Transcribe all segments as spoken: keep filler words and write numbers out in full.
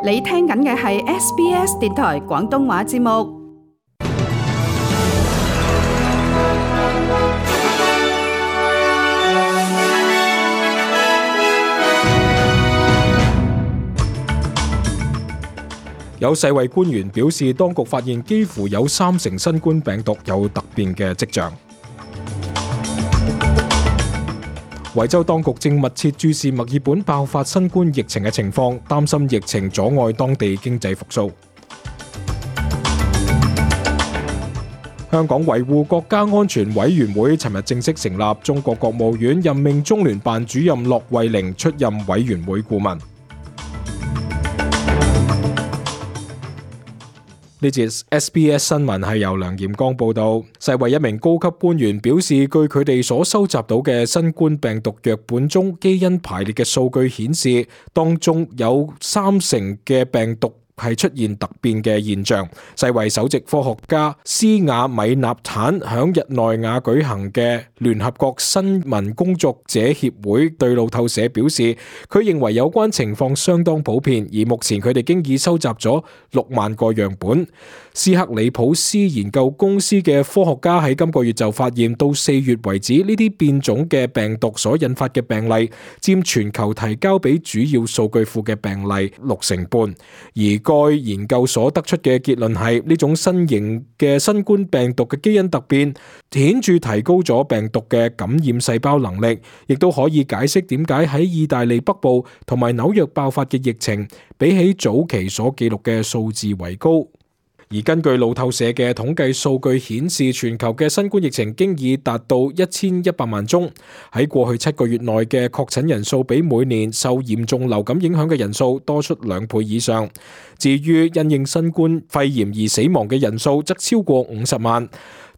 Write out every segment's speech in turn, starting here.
你聽緊嘅係 S B S 電台廣東話節目。有世衛官員表示，當局發現幾乎有三成新冠病毒有突變嘅跡象。維州當局正密切注視墨爾本爆發新冠疫情嘅情況，擔心疫情阻礙當地經濟復甦。香港維護國家安全委員會尋日正式成立，中國國務院任命中聯辦主任駱惠寧出任委員會顧問。呢節 S B S 新聞係由梁炎光報道。世衛一名高級官員表示，據佢哋所收集到嘅新冠病毒樣本中基因排列嘅數據顯示，當中有三成嘅病毒係出現突變嘅現象。世衛首席科學家斯瓦米納坦響日內瓦舉行嘅聯合國新聞工作者協會對路透社表示，佢認為有關情況相當普遍，而目前佢哋經已收集咗六萬個樣本。斯克里普斯研究公司嘅科學家喺今個月就發現，到四月為止，呢啲變種嘅病毒所引發嘅病例佔全球提交俾主要數據庫嘅病例六成半，而該研究所得出嘅結論係，呢種新型嘅新冠病毒嘅基因突變顯著提高咗病毒嘅感染細胞能力，亦都可以解釋點解喺意大利北部同埋紐約爆發嘅疫情比起早期所記錄嘅數字為高。而根據路透社嘅統計數據顯示，全球嘅新冠疫情經已達到一千一百萬宗。喺過去七個月內嘅確診人數比每年受嚴重流感影響嘅人數多出兩倍以上。至於因應新冠肺炎而死亡嘅人數則超過五十萬，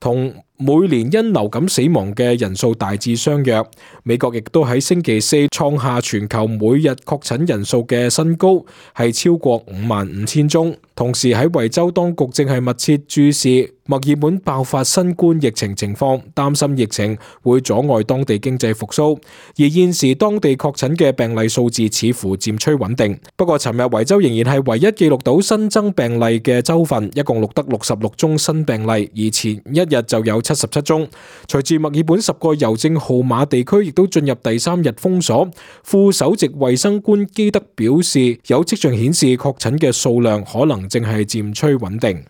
同每年因流感死亡嘅人數大致相若。美國亦都喺星期四創下全球每日確診人數嘅新高，係超過五萬五千宗。同時喺維州當局正係密切注視墨爾本爆發新冠疫情情況，擔心疫情會阻礙當地經濟復甦。而現時當地確診嘅病例數字似乎漸趨穩定。不過尋日維州仍然係唯一記錄到新增病例嘅州份，一共錄得六十六宗新病例，而前一日就有七十七宗。隨住墨爾本十個郵政號碼地區亦都進入第三日封鎖，副首席衛生官基德表示，有跡象顯示確診嘅數量可能正係漸趨穩定。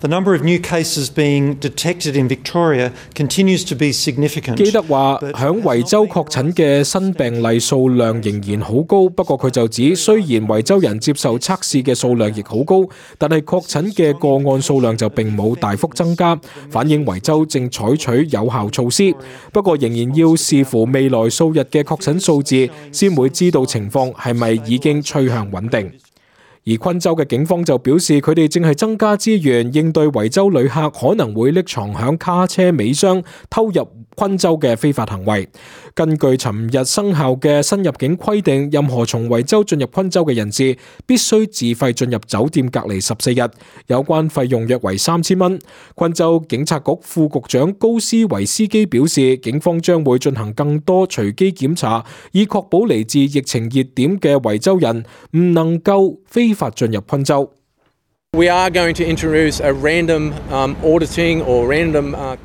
The number of new cases being detected in Victoria continues to be significant. 基德話，響維州確診嘅新病例數量仍然好高，不過佢就指，雖然維州人接受測試嘅數量亦好高，但係確診嘅個案數量就並冇大幅增加，反映維州正採取有效措施。不過仍然要視乎未來數日嘅確診數字，先會知道情況係咪已經趨向穩定。而昆州嘅警方就表示，佢哋正係增加資源應對維州旅客可能會匿藏響卡車尾箱偷入昆州嘅非法行為。根據尋日生效嘅新入境規定，任何從維州進入昆州嘅人士必須自費進入酒店隔離十四日，有關費用約為三千蚊。昆州警察局副局長高斯維斯基表示，警方將會進行更多隨機檢查，以確保嚟自疫情熱點嘅維州人唔能夠非法進入昆州。We are going to introduce a random um, auditing or random uh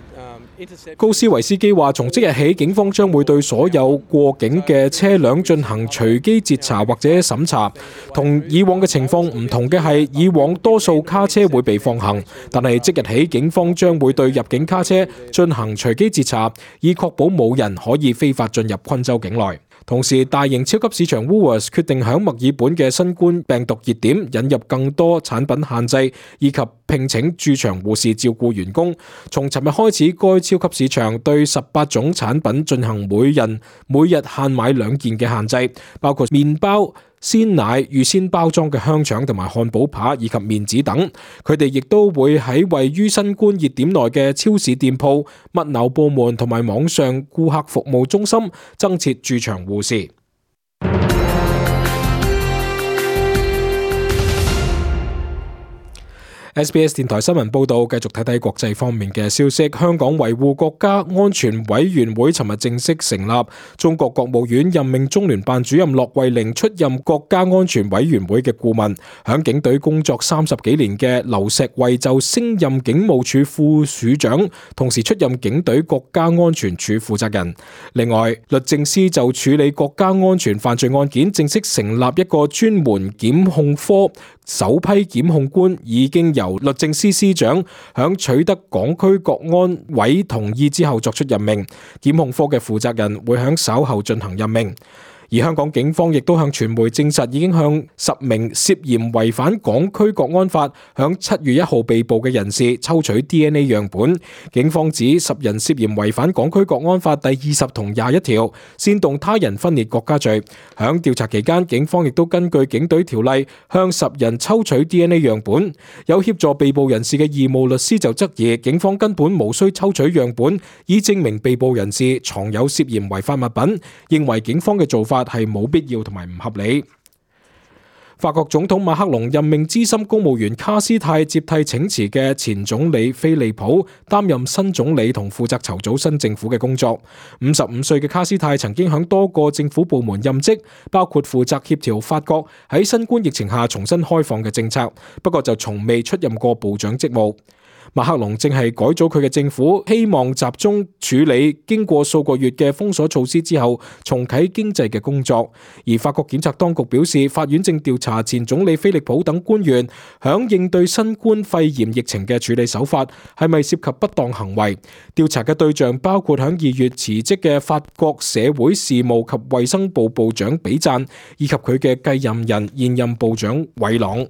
高斯維斯基話，從即日起，警方將會對所有過境嘅車輛進行隨機截查或者審查。同以往嘅情況唔同嘅係，以往多數卡車會被放行，但係即日起，警方將會對入境卡車進行隨機截查，以確保冇人可以非法進入昆州境內。同時，大型超級市場 Woolworths 決定響墨爾本嘅新冠病毒熱點引入更多產品限制，以及聘請駐場護士照顧員工。從尋日開始，該超級市場對十八種產品進行每人每日限買兩件嘅限制，包括麵包、鮮奶、預先包裝嘅香腸同埋漢堡扒以及麵紙等。佢哋亦都會喺位於新冠熱點內嘅超市店鋪、物流部門同埋網上顧客服務中心增設駐場護士。S B S 電台新聞報道，繼續睇睇國際方面嘅消息。香港維護國家安全委員會尋日正式成立，中國國務院任命中聯辦主任駱惠寧出任國家安全委員會嘅顧問。響警隊工作三十幾年嘅劉錫慧就升任警務處副處長，同時出任警隊國家安全處負責人。另外，律政司就處理國家安全犯罪案件，正式成立一個專門檢控科。首批檢控官已經由律政司司長響取得港區國安委同意之後作出任命，檢控科嘅負責人會響稍後進行任命。而香港警方亦都向傳媒證實，已經向十名涉嫌違反港區國安法響七月一號被捕嘅人士抽取 D N A 樣本。警方指十人涉嫌違反港區國安法第二十同廿一條，煽動他人分裂國家罪。響調查期間，警方亦都根據警隊條例向十人抽取 D N A 樣本。有協助被捕人士嘅義務律師就質疑，警方根本無需抽取樣本，以證明被捕人士藏有涉嫌違法物品，認為警方嘅做法係冇必要同埋唔合理。法國總統馬克龍任命資深公務員卡斯泰接替請辭嘅前總理菲利普擔任新總理，同負責籌組新政府嘅工作。五十五歲嘅卡斯泰曾經響多個政府部門任職，包括負責協調法國喺新冠疫情下重新開放嘅政策，不過就從未出任過部長職務。馬克龍正係改組佢嘅政府，希望集中處理經過數個月嘅封鎖措施之後重啟經濟嘅工作。而法國檢察當局表示，法院正調查前總理菲利普等官員響應對新冠肺炎疫情嘅處理手法係咪涉及不當行為。調查嘅對象包括響二月辭職嘅法國社會事務及衛生部部長比贊，以及佢嘅繼任人現任部長韋朗。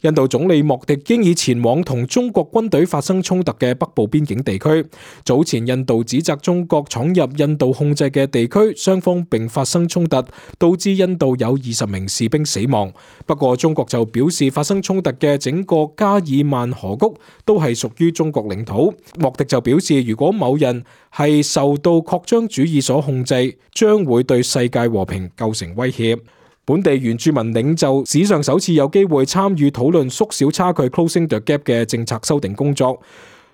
印度總理莫迪經已前往同中國軍隊發生衝突嘅北部邊境地區。早前印度指責中國闖入印度控制嘅地區，雙方並發生衝突，導致印度有二十名士兵死亡。不過中國就表示，發生衝突嘅整個加爾曼河谷都係屬於中國領土。莫迪就表示，如果某人係受到擴張主義所控制，將會對世界和平構成威脅。本地原住民領袖史上首次有機會參與討論縮小差距 （Closing the Gap） 嘅政策修訂工作。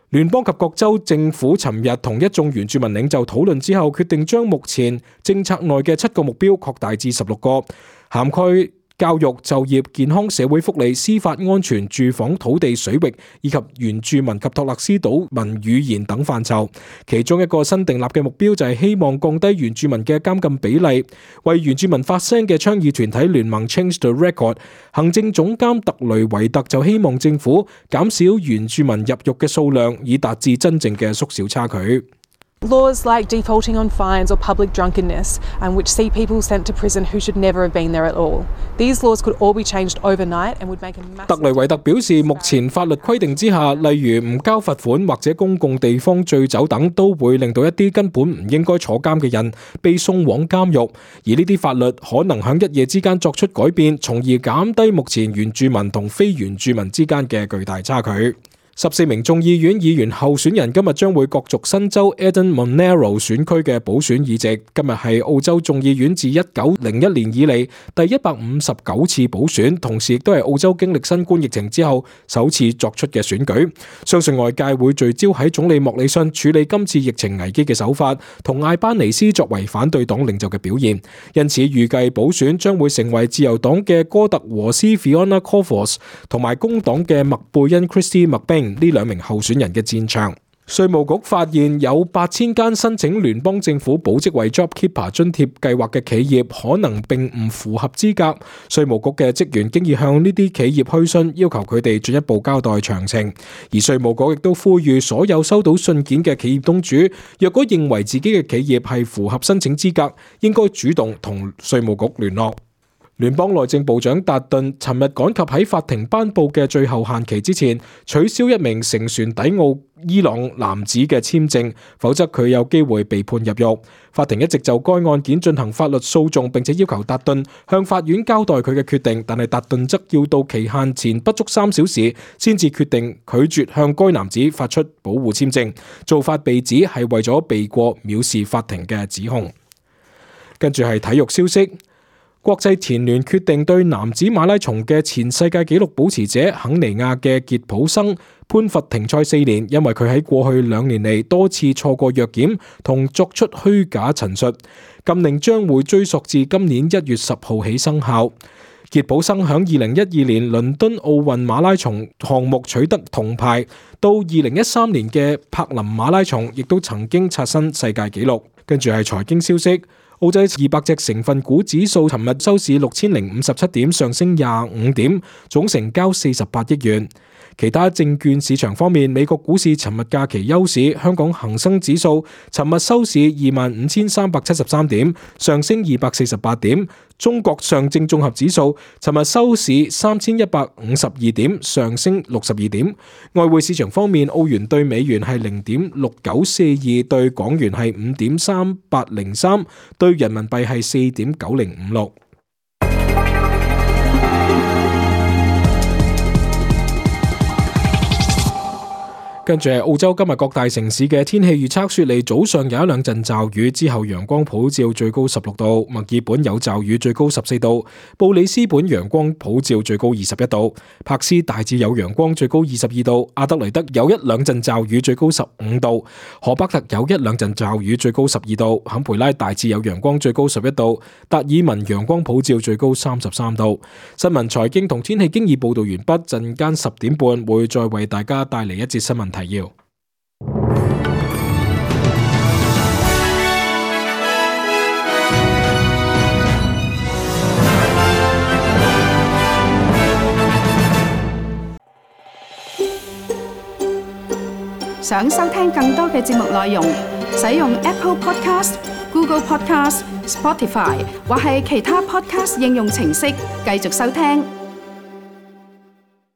聯邦及各州政府尋日同一眾原住民領袖討論之後，決定將目前政策內嘅七個目標擴大至十六個，涵蓋教育、就業、健康、社會福利、司法安全、住房、土地、水域以及原住民及托勒斯島民語言等範疇。其中一個新訂立嘅目標就係希望降低原住民嘅監禁比例。為原住民發聲嘅倡議團體聯盟 Change the Record 行政總監特雷維特就希望政府減少原住民入獄嘅數量，以達至真正嘅縮小差距。Laws like defaulting on fines or public drunkenness, and which see people sent to prison who should never have been there at all. These laws could all be changed overnight and would make a massive... 特雷維特表示，目前法律規定之下，例如唔交罰款或者公共地方醉酒等，都會令到一啲根本唔應該坐監嘅人被送往監獄。而呢啲法律可能喺一夜之間作出改變，從而減低目前原住民同非原住民之間嘅巨大差距。十四名眾議院議員候選人今日將會角逐新州 Eden Monaro 選區嘅補選議席。今日係澳洲眾議院自一九零一年以嚟第一百五十九次補選，同時亦都係澳洲經歷新冠疫情之後首次作出嘅選舉。相信外界會聚焦喺總理莫里遜處理今次疫情危機嘅手法，同艾班尼斯作為反對黨領袖嘅表現。因此預計補選將會成為自由黨嘅哥特和斯 Fiona Cofois 同埋工黨嘅麥貝恩 Christy McBain呢兩名候選人嘅戰場。稅務局發現有八千間申請聯邦政府保職位 JobKeeper 津貼計劃嘅企業可能並唔符合資格。稅務局嘅職員經已向呢啲企業去信，要求佢哋進一步交代詳情。而稅務局亦都呼籲所有收到信件嘅企業東主，若果認為自己嘅企業係符合申請資格，應該主動同稅務局聯絡。聯邦內政部長達頓尋日趕及喺法庭頒布嘅最後限期之前，取消一名乘船抵澳伊朗男子嘅簽證，否則佢有機會被判入獄。法庭一直就該案件進行法律訴訟，並且要求達頓向法院交代佢嘅決定，但係達頓則要到期限前不足三小時先至決定拒絕向該男子發出保護簽證，做法被指係為咗避過藐視法庭嘅指控。跟住係體育消息。國際田聯決定對男子馬拉松嘅前世界紀錄保持者肯尼亞嘅傑普生判罰停賽四年，因為佢喺過去兩年嚟多次錯過藥檢同作出虛假陳述。禁令將會追溯至今年一月十號起生效。傑普生響二零一二年倫敦奧運馬拉松項目取得銅牌，到二零一三年嘅柏林馬拉松亦都曾經刷新世界紀錄。跟住係財經消息。澳洲二百隻成分股指數尋日收市六千零五十七點，上升廿五點，總成交四十八億元。其他證券市場方面，美國股市尋日假期休市，香港恒生指數尋日收市二萬五千三百七十三點，上升二百四十八點。中國上證綜合指數尋日收市三千一百五十二點，上升六十二點。外匯市場方面，澳元對美元係零點六九四二，對港元係五點三八零三，對人民幣係四點九零五六。跟住係澳洲今日各大城市嘅天氣預測，雪梨早上有一兩陣驟雨，之後陽光普照，最高十六度；墨爾本有驟雨，最高十四度；布里斯本陽光普照，最高二十一度；柏斯大致有陽光，最高二十二度；阿德雷德有一兩陣驟雨，最高十五度；荷伯特有一兩陣驟雨，最高十二度；坎培拉大致有陽光，最高十一度；達爾文陽光普照，最高三十三度。新聞財經同天氣經已報道完畢，陣間十點半會再為大家帶嚟一節新聞提要。想收聽更多嘅節目內容，使用 Apple Podcast、Google Podcast、Spotify 或係其他 Podcast 應用程式繼續收聽。